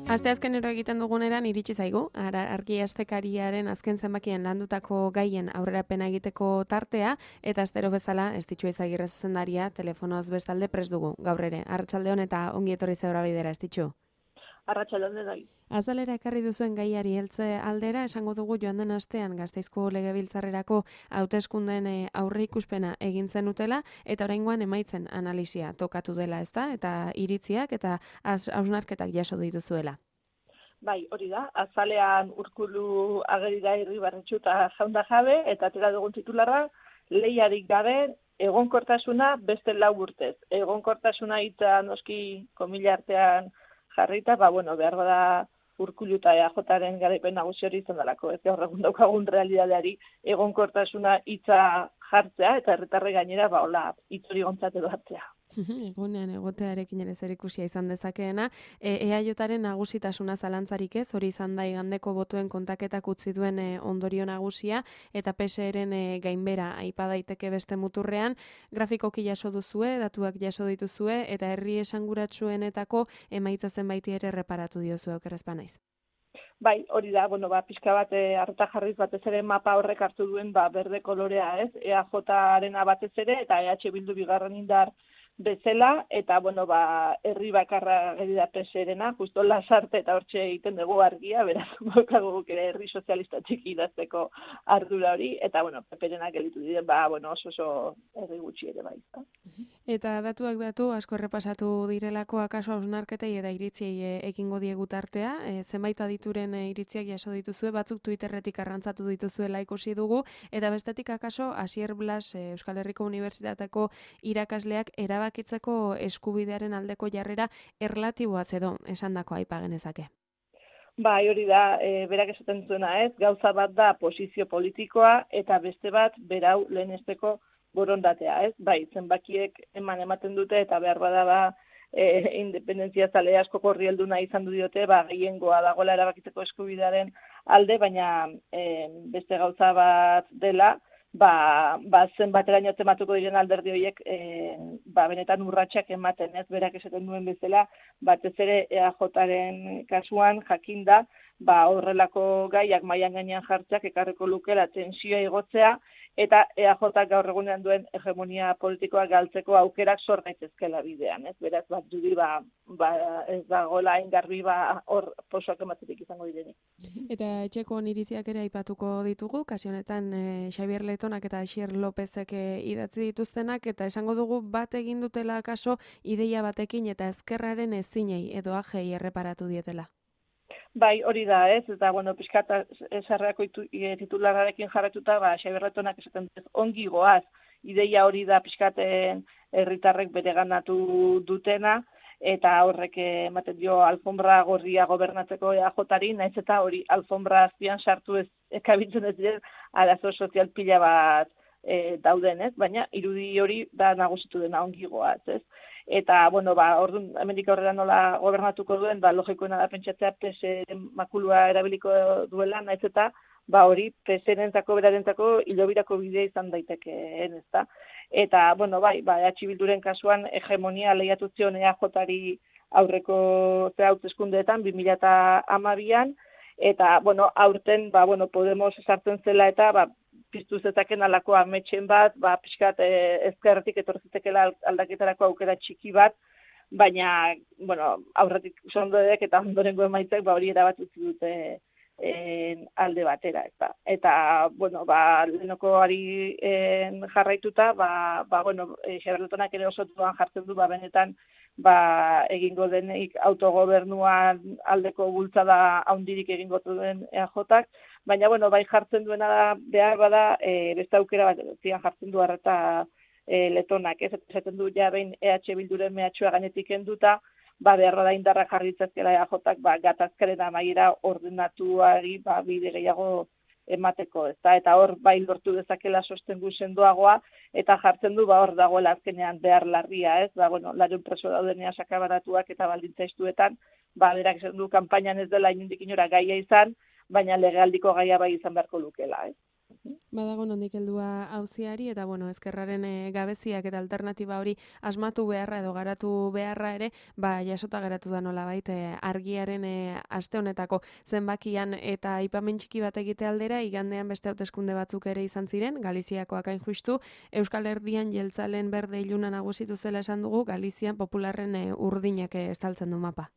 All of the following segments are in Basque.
Asteazkenero egiten duguneran iritsi zaigu, argi astekariaren azken zenbakien landutako gaien aurrerapena egiteko tartea, eta astero bezala Estitxu Izagirre zuzendaria telefonoz bestalde prest dugu, gaur ere. Arratsaldeon eta ongi etorri Zebra Bidera, Estitxu. Arratsaldeon denoi. Azalera ekarri duzuen gaiari heltze aldera, esango dugu joan den astean Gasteizko Legebiltzarrerako hauteskundeen aurreikuspena egin zenutela, eta oraingoan emaitzen analisia tokatu dela, ezta? Eta iritziak eta hausnarketak jaso dituzuela. Bai, hori da, azalean Urkulu ageri da Irribarretxu eta Jaunda Jabe, eta atera dugun titularra, lehiarik gabe egonkortasuna beste 4 urtez. Egonkortasuna hitza noski komila artean jarrita, behar bada Urkulu eta EAJaren garaipen nagusi hori izan dalako, ez gaur egun daukagun realidadeari egonkortasuna hitza jartzea, eta herritarrek gainera, hola, hitz hori gontzat edo hartzea. Egunean egotearekin ere zerikusia izan dezakeena, EAJaren nagusitasuna zalantzarik ez, hori izan da igandeko botuen kontaketak utzi duen ondorio nagusia, eta PSeren gainbera aipa daiteke beste muturrean, grafikoki jaso duzue, datuak jaso dituzue, eta herri esanguratsuenetako emaitza zenbaiti ere reparatu diozue, okerrezpa naiz. Bai, hori da, pixka bat arreta jarriz batez ere mapa horrek hartu duen berde kolorea, ez? EAJarena batez ere eta EH Bildu bigarren indar bezala, eta herri bakarra geri da PSerena, justo Lasarte eta hortxe egiten dugu argia, beraz, baukagu ere herri sozialista txiki idazteko ardura hori, eta PPrenak gelitu diren, oso herri gutxi ere bai. Eta datuak datu, asko errepasatu direlako akaso hausnarketei eta iritziei ekingo diegu tartea, zenbait adituren iritziak jaso dituzue, batzuk Twitterretik arrantzatu dituzuela ikusi dugu, eta bestetik akaso Asier Blas Euskal Herriko Unibertsitateko irakasleak erabakitzeko eskubidearen aldeko jarrera erlatiboaz edo esandako aipa genezake. Bai, hori da, berak esaten zuena ez, gauza bat da posizio politikoa eta beste bat berau lehenesteko borondatea, ez? Bai, zenbakiek ematen dute eta behar bada independentzia zale asko korri helduna izan du diote, gehiengoa dagoela erabakitzeko eskubidearen alde, baina beste gauza bat dela, zenbateraino tematuko diren alderdi horiek benetan urratsak ematen, ez? Berak esaten duen bezala, batez ere EAJaren kasuan jakinda, horrelako gaiak mailan gainean jartzeak ekarriko lukela tentsioa igotzea, eta EAJ gaur egunean duen hegemonia politikoa galtzeko aukerak sor daitezkeela bidean, ez? Beraz, dudi ez dagoela hain garbi hor posoak ematetik izango direnik. Eta etxeko oniritziak ere aipatuko ditugu, kasu honetan Xabier Letonak eta Asier Lopezek idatzi dituztenak, eta esango dugu bat egin dutela kaso ideia batekin eta ezkerraren ezinei edo ajei erreparatu dietela. Bai, hori da, ez? Eta, pixkat esarreako titulararekin jarretuta, Xabier Letonak esaten dut, ongi goaz, ideia hori da pixkaten herritarrek bereganatu dutena, eta horrek ematen dio alfombra gorria gobernatzeko EAJari, naiz eta hori alfombra azpian sartu ez kabitzen ez diren arazo sozial pila bat dauden, ez? Baina irudi hori da nagusitu dena ongi goaz, ez? Eta, orduan, hemendik aurrera nola gobernatuko duen, logikoena da pentsatzea PSren makulua erabiliko duela, naiz eta, hori PSrentzako berarentzako hilobirako bidea izan daitekeen, ezta? Eta, EH Bilduren kasuan hegemonia lehiatu zion EAJari aurreko hauteskundeetan 2012an, eta, aurten, Podemos sartzen zela eta, piztu zezaken alako ametxen bat, pixkat ezkerretik etorzitekela aldaketarako aukera txiki bat, baina, aurretik sondodek eta ondorengo emaitzak hori erabat utzi dute alde batera, ezta. Eta, lehenakoari jarraituta, Xabier Letonak ere oso duan jartzen du, benetan, egingo denik autogobernuan aldeko bultzada handirik egingo duen EAJak, baina, bai jartzen duena da, behar bada, beste aukera bat, zian jartzen du arreta Letonak, ez? Esaten du, behin EH Bilduren mehatxua gainetik enduta, behar bada indarra jarritzazkela EAJak, gatazkaren amaiera ordenatuari, bide gehiago emateko, ezta? Eta hor, lortu dezakela sostengu sendoagoa, eta jartzen du, hor dagoela azkenean behar larria, ez? Larun preso daudenean sakabaratuak eta baldintza estuetan, berak esan du, kanpainan ez dela inondik inora gaia izan, baina legealdiko gaia bai izan beharko lukela, ez? Badago nondik heldua auziari eta bueno, ezkerraren gabeziak eta alternatiba hori asmatu beharra edo garatu beharra ere, jasota geratu da nolabait argiaren aste honetako zenbakian eta aipamen txiki bat egite aldera igandean beste hauteskunde batzuk ere izan ziren, Galiziakoak hain justu, Euskal Herrian jeltzalen berde iluna nagusitu zela esan dugu, Galizian popularren urdinak estaltzen du mapa.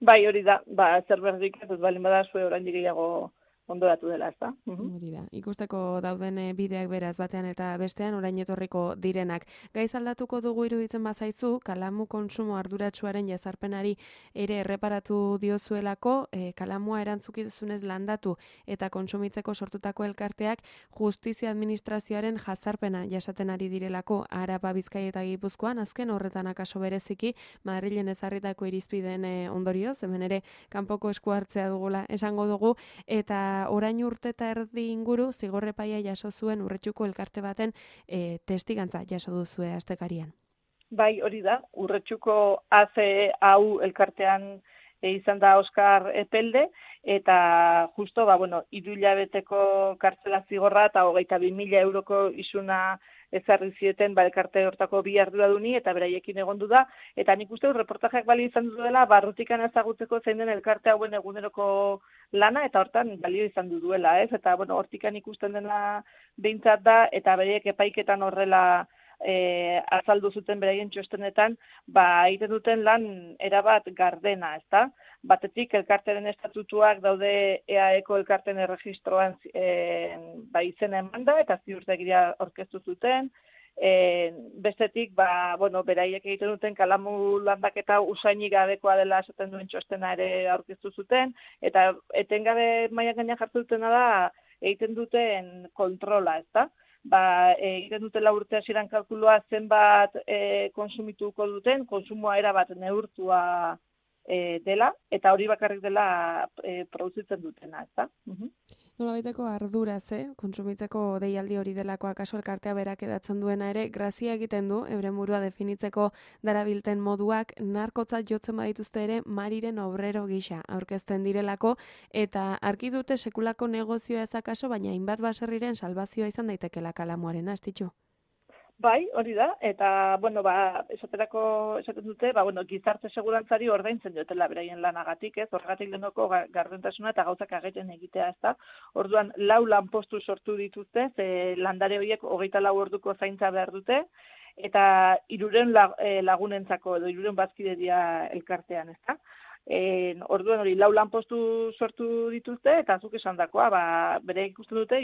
Bai, hori da, zer berdik ez balin bada zue oraindik gehiago ondoratu dela, ezta? Hori da, ikusteko dauden bideak beraz batean eta bestean orain etorriko direnak. Gaiz aldatuko dugu iruditzen bazaizu, kalamu konsumo arduratsuaren jazarpenari ere erreparatu diozuelako, kalamua erantzukizunez landatu eta konsumitzeko sortutako elkarteak justizia administrazioaren jazarpena jasaten ari direlako Araba, Bizkaia eta Gipuzkoan, azken horretan akaso bereziki Madrilen ezarritako irizpideen ondorioz, hemen ere kanpoko esku hartzea dugula esango dugu, eta orain urte eta erdi inguru zigorrepaia jaso zuen Urretxuko elkarte baten testigantza jaso duzue astekarian. Bai, hori da, Urretxuko ACAU elkartean izan da Oskar Epelde, eta justo, 3 hilabeteko kartzela zigorra eta 22.000 euroko isuna ezarri zieten elkarte hortako 2 arduraduni eta beraiekin egondu da, eta nik uste reportajeak balio izan duela barrutikan ezagutzeko zein den elkarte hauen eguneroko lana, eta hortan balio izan duela, ez? Eta, hortikan ikusten dena behintzat da, eta beraiek epaiketan horrela azaldu zuten beraien txostenetan, egiten duten lan erabat gardena, ezta? Batetik, elkarteren estatutuak daude EAEko elkarten erregistroan izena emanda, eta ziurtegiria aurkeztu zuten. Bestetik, beraiek egiten duten kalamu landaketa usainik gabekoa dela esaten duen txostena ere aurkeztu zuten, eta etengabe mailan gainean jartzen dutena da egiten duten kontrola, ezta? Egiten dutela urte hasieran kalkulua zenbat konsumituko duten, konsumoa erabat neurtua dela, eta hori bakarrik dela produzitzen dutena, ezta? Nolabaiteko arduraz, kontsumitzeko deialdi hori delako akaso elkartea berak edatzen duena ere, grazia egiten du, euren burua definitzeko darabilten moduak, narkotzat jotzen badituzte ere, mariren obrero gisa aurkezten direlako, eta argi dute sekulako negozioa ez akaso, baina hainbat baserriren salbazioa izan daitekela kalamuaren, astitxu? Bai, hori da, eta, esaten dute, gizarte segurantzari ordaintzen diotela beraien lanagatik, ez? Horregatik lehenoko gardentasuna eta gauzak ageten egitea, ez da? Orduan, 4 lanpostu sortu dituzte, landare horiek 24 orduko zaintza behar dute, eta 300 lagunentzako edo 300 bazkide dira elkartean, ez da? Orduan hori 4 lanpostu sortu dituzte, eta zuk esandakoa, bere ikusten dute,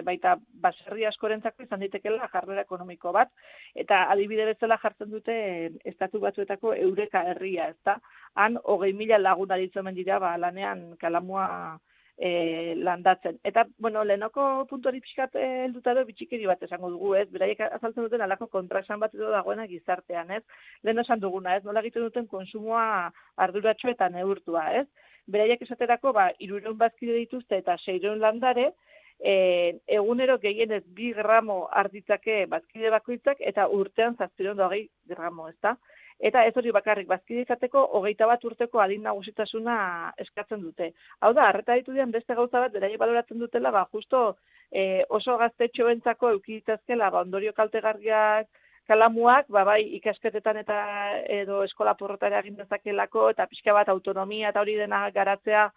baita baserri askorentzako izan daitekela jarrera ekonomiko bat, eta adibide bezala jartzen dute estatu batzuetako Eureka herria, ezta? Han 20.000 lagun aritzen dira lanean kalamua landatzen. Eta, lehenoko puntuari pixkat helduta edo bitxikeri bat esango dugu, ez? Beraiek azaltzen duten alako kontraesan bat edo dagoena gizartean, ez? Lehen esan duguna, ez? Nola egiten duten konsumoa arduratsu eta neurtua, ez? Beraiek esaterako, 300 bazkide dituzte eta 600 landare, egunero gehienez 2 gramo arditzake bazkide bakoitzak eta urtean 720 gramo, ezta? Eta ez hori bakarrik, bazkide izateko 21 urteko adin nagusitasuna eskatzen dute. Hau da, arreta ditu dian beste gauza bat, beraiek baloratzen dutela, justo oso gaztetxoentzako eukiditazkela, ondorio kaltegarriak kalamuak, bai ikasketetan eta edo eskola porrotara egin dezakelako, eta pixka bat autonomia eta hori dena garatzea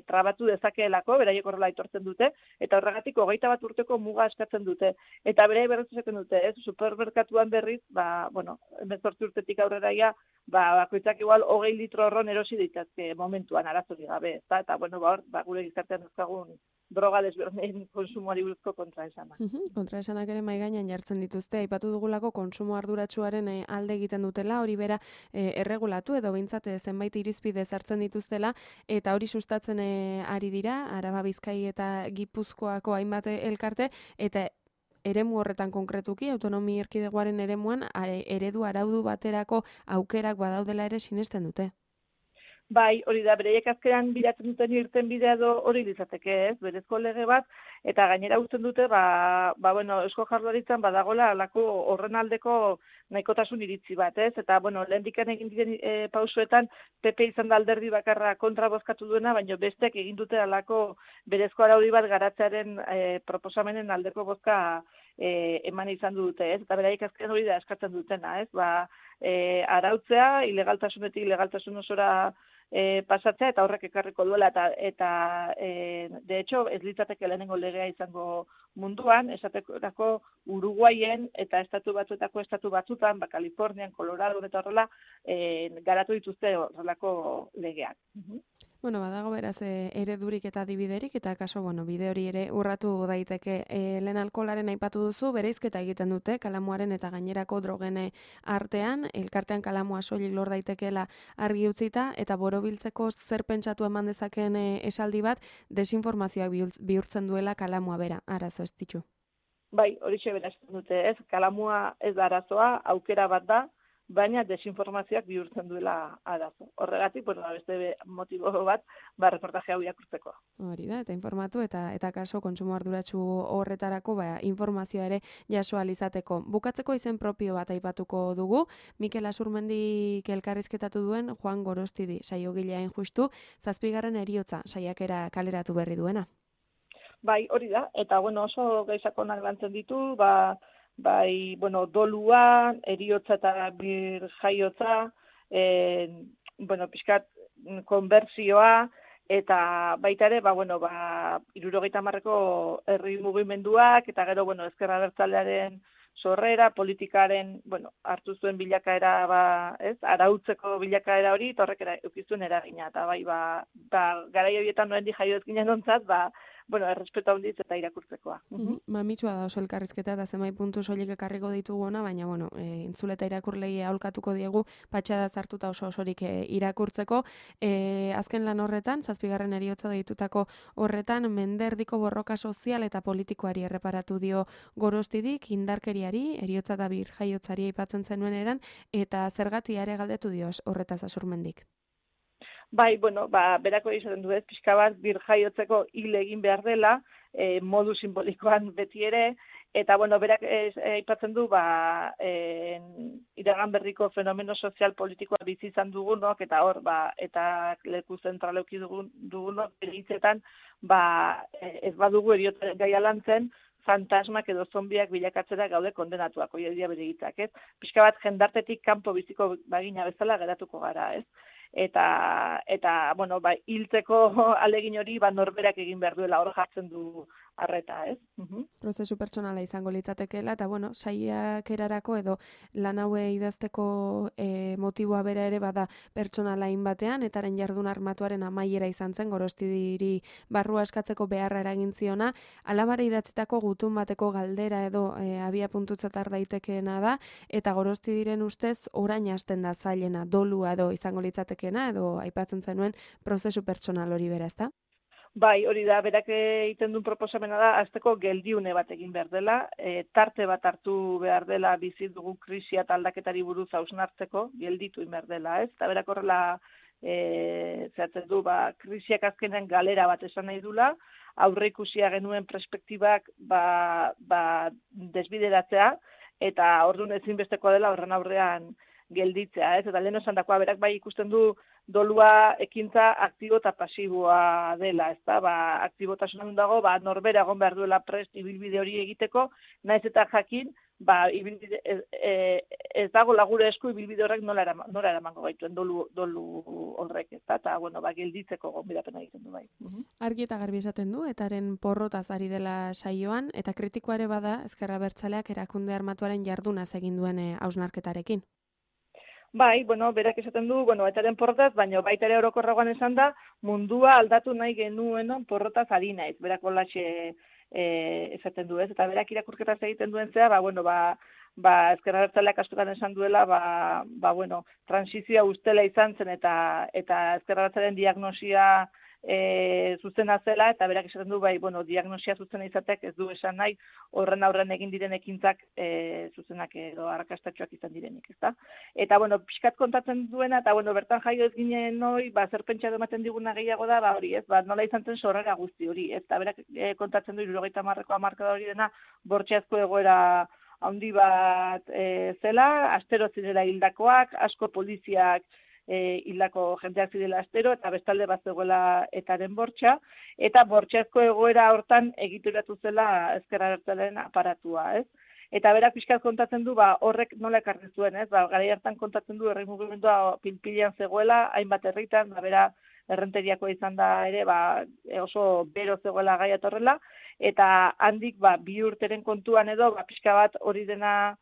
trabatu dezakeelako, beraiek horrela aitortzen dute, eta horregatik 21 urteko muga eskatzen dute. Eta beraiek berriz esaten dute, ez, supermerkatuan berriz, 18 urtetik aurreraia, bakoitzak igual 20 litro horron erosi ditazke momentuan arazorik gabe, eta gure gizartean duzkagun droga desberdinen konsumoari buruzko kontraesana. Kontraesanak ere mahai gainean jartzen dituzte, aipatu dugulako konsumo arduratsuaren alde egiten dutela, hori bera erregulatu edo behintzat zenbait irizpide sartzen dituztela, eta hori sustatzen ari dira, Araba, Bizkai eta Gipuzkoako hainbat elkarte, eta eremu horretan konkretuki, autonomi erkidegoaren eremuan, eredu araudu baterako aukerak badaudela ere sinesten dute. Bai, hori da, bereiek azkenan bilatzen duten irten bidea hori litzateke, ez, berezko lege bat, eta gainera usten dute, bueno, Eusko Jaurlaritzan badagola alako horren aldeko nahikotasun iritzi bat, ez, eta, bueno, lehendikan egin diren pausuetan, PP izan da alderdi bakarra kontra bozkatu duena, baina bestek egin dute alako berezko araudi bat garatzearen proposamenen aldeko bozka eman izan dute, ez, eta beraiek azkenan hori da eskatzen dutena, ez, arautzea, ilegaltasunetik ilegaltasun osora pasatzea eta horrek ekarriko duela eta de hecho ez litzateke lehenengo legea izango munduan, esaterako Uruguaien eta estatu batzutan, Kalifornian, Colorado eta horrela garatu dituzte horrelako legeak. Bueno, badago beraz eredurik eta adibiderik, eta kaso, bueno, bide hori ere urratu daiteke. Lehen alkoholaren aipatu duzu, bereizketa egiten dute, kalamuaren eta gainerako drogen artean, elkartean kalamua soilik lor daitekeela argi utzita, eta borobiltzeko zer pentsatu eman dezakeen esaldi bat, desinformazioak bihurtzen duela kalamua bera, arazo ez ditu. Bai, horixe beraz dute, ez, kalamua ez da arazoa, aukera bat da, baina desinformazioak bihurtzen duela arazo. Horregatik, bueno, beste motibo bat, reportaje hau irakurtzeko. Hori da, eta informatu eta kaso kontsumo arduratsu horretarako informazioa ere jaso izateko. Bukatzeko izen propio bat aipatuko dugu, Mikel Asurmendik elkarrizketatu duen Juan Gorostidi, saiogileain justu, 7. heriotza saiakera kaleratu berri duena. Bai, hori da, eta bueno, oso gaizakonak lantzen ditu, bai, bueno, dolua, eriotza eta birjaiotza, bueno, pixkat konbertsioa, eta baita ere, 70ko herri mugimenduak, eta gero, bueno, ezker abertzalearen sorrera, politikaren, bueno, hartu zuen bilakaera, arautzeko bilakaera hori, eta horrek eukizuen eragina, eta bai, garai horietan noendi jaio ez ginen ontzat, bueno, errespetu handiz eta irakurtzekoa. Mamitsua da oso elkarrizketa eta zenbait puntu soilik ekarriko ditugu baina, bueno, entzule eta irakurlei aholkatuko diegu, patxada zartuta osorik irakurtzeko. Azken lan horretan, 7. heriotza deitutako horretan, menderdiko borroka sozial eta politikoari erreparatu dio Gorostidik, indarkeriari, eriotza eta birjaiotzari aipatzen zenuen eran, eta zergatia ere galdetu dio horretaz Asurmendik. Bai, bueno, berako izaten du ez, pixka bat birjaiotzeko hil egin behar dela, modu simbolikoan beti ere, eta bueno, berak aipatzen du, iragan berriko fenomeno sozial politikoa bizi izan dugunok, eta hor, eta leku zentraleuki dugunok, bere hitzetan, ez badugu eriotza gaia lantzen, fantasmak edo zombiak bilakatzera gaude kondenatuak, hori dira bere hitzak, ez? Pixka bat jendartetik kanpo biziko bagina bezala geratuko gara, ez? Eta bueno, hiltzeko alegin hori norberak egin behar duela, hor jartzen du arreta, ez? Prozesu pertsonala izango litzatekeela, eta bueno, saiakerarako edo lan haue idazteko motiboa bera ere bada pertsonalain batean, etaren jardun armatuaren amaiera izan zen, Gorostidiri barrua eskatzeko beharra eragin ziona, alabara idatzitako gutun bateko galdera edo abia puntutzatar daitekeena da, eta Gorostidiren ustez orain hasten da zailena, dolua edo izango litzatekeena, edo aipatzen zenuen prozesu pertsonal hori bera, ezta? Bai, hori da, berak egiten duen proposamena da, azteko geldiune bat egin behar dela, tarte bat hartu behar dela bizi dugu krisia eta aldaketari buruz hausnartzeko, gelditu behar dela, ez? Eta berak horrela zehatzen du, krisiak azkenean galera bat esan nahi dula, aurre ikusia genuen perspektibak desbideratzea, eta orduan ezinbestekoa dela horren aurrean gelditzea, ez? Eta lehen esan dakoa, berak bai ikusten du dolua ekintza aktibo eta pasiboa dela, ez da? Aktibotasunan dago, norbera egon behar duela prest ibilbide hori egiteko, naiz eta jakin, ez dago lagure esku ibilbide horrek nola eramango gaituen dolu horrek, ez da? Eta, bueno, gelditzeko gonbidapena egiten du bai. Argi eta garbi esaten du, etaren porrotaz ari dela saioan, eta kritikoa ere bada, Ezker Abertzaleak erakunde armatuaren jardunaz egin duen hausnarketarekin. Bai, bueno, berak esaten du, etaren porrotaz, baina baita ere orokorragoan esan da, mundua aldatu nahi genuenon porrotaz ari naiz, berak olaxe esaten du, ez? Eta berak irakurketaz egiten duen zea, Ezker Abertzaleak askotan esan duela, transizioa ustela izan zen, eta Ezker Abertzalearen diagnosia zuzena zela, eta berak esaten du, bai, bueno, diagnosia zuzena izateak ez du esan nahi, horren aurren egin diren ekintzak zuzenak edo arrakastatxoak izan direnik, ezta? Eta, bueno, pixkat kontatzen duena, eta, bueno, bertan jaio ez ginen noi, zer pentsa ematen diguna gehiago da, hori, ez, nola izan zen sorrera guzti hori, ez, eta berak kontatzen du, 70ko hamarkada hori dena, bortxazko egoera handi bat zela, astero zirela hildakoak, asko poliziak hildako jendeak zirela astero, eta bestalde bat zegoela etaren bortxa, eta bortxazko egoera hortan egituratu zela ezker abertzalearen aparatua, ez? Eta berak pixkat kontatzen du, horrek nola ekarri zuen, ez? Garai hartan kontatzen du, herri mugimendua pilpilean zegoela, hainbat herritan, bera errenteriakoa izan da ere, oso bero zegoela gai atorrela, eta handik 2 urteren kontuan edo, pixka bat hori dena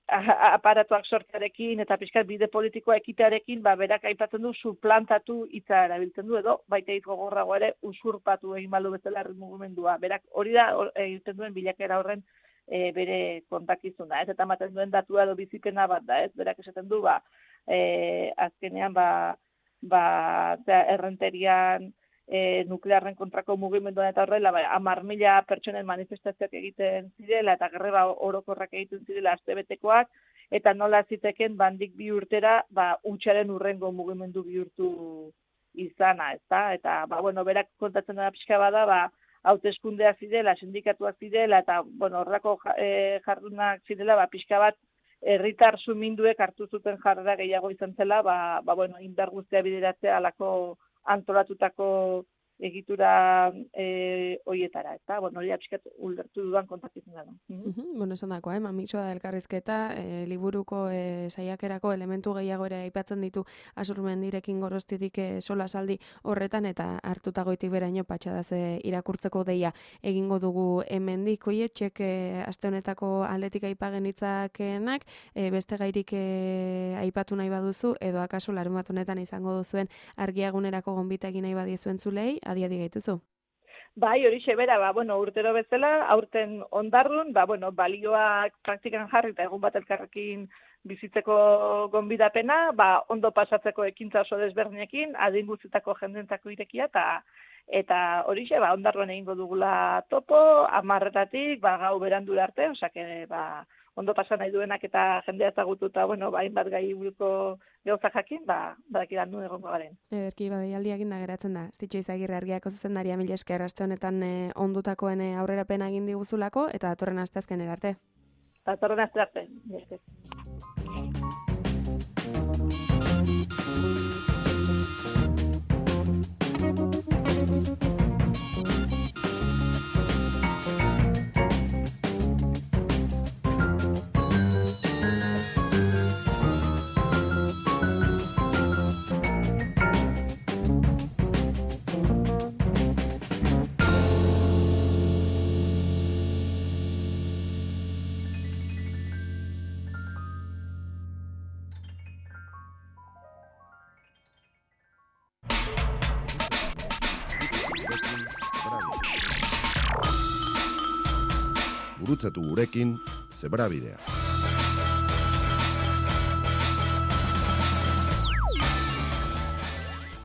aparatuak sortzarekin eta pixkat bide politikoa ekitearekin, berak aipatzen du suplantatu hitza erabiltzen du edo, baita hitz gogorrago ere usurpatu egin balu bezala herri mugimendua. Berak hori da egiten duen bilakera horren bere kontakizuna, ez? Eta ematen duen datua edo bizipena bat da, ez? Berak esaten du, azkenean, errenterian nuklearren kontrako mugimenduan eta horrela, 10.000 pertsonen manifestazioak egiten zirela eta greba orokorrak egiten zirela astebetekoak, eta nola ziteken bandik 2 urtera, hutsaren urrengo mugimendu bihurtu izana, ezta? Eta, berak kontatzen da pixka bada, hauteskundeak zirela, sindikatuak zirela, eta, horrako jardunak zirela, pixka bat, herritar suminduek hartu zuten jarrera gehiago izan zela, indar guztia bideratzea alako antolatutako egitura hoietara, eta, hori pixkat ulertu dudan kontakizuna da. Esan dako, mamisoa da elkarrizketa, liburuko saiakerako elementu gehiago ere aipatzen ditu Azurmendirekin Gorostitik solasaldi horretan, eta hartutagoitik beraino patxadaz irakurtzeko deia egingo dugu hemendik. Txek aste honetako aldetik aipagen hitzakenak, beste gairik aipatu nahi baduzu, edo akaso larunbat honetan izango duzuen argiagunerako gonbita egin nahi badiezuen zulei, adi gaituzu. Bai, hori bera, urtero bezala, aurten Ondarrun, balioak praktikan jarri eta egun bat elkarrekin bizitzeko gonbidapena, ondo pasatzeko ekintza oso desberdinekin, adin guztietako jendentzako irekia, eta hori Ondarruan egingo dugula topo, 10:00-tatik, gau berandura arte, osake, ondo pasa nahi duenak eta jendea ezagutu eta, hainbat gai buruko gauza jakin, badakidan nu egongo garen. Erki, deialdiak da geratzen da. Estitxo Izagirre Argiako zuzendaria, mila esker aste honetan ondutakoen aurrerapena egin diguzulako, eta datorren asteazkenera arte. Datorren aste arte, mila esker. Gurutzatu gurekin, Zebrabidea.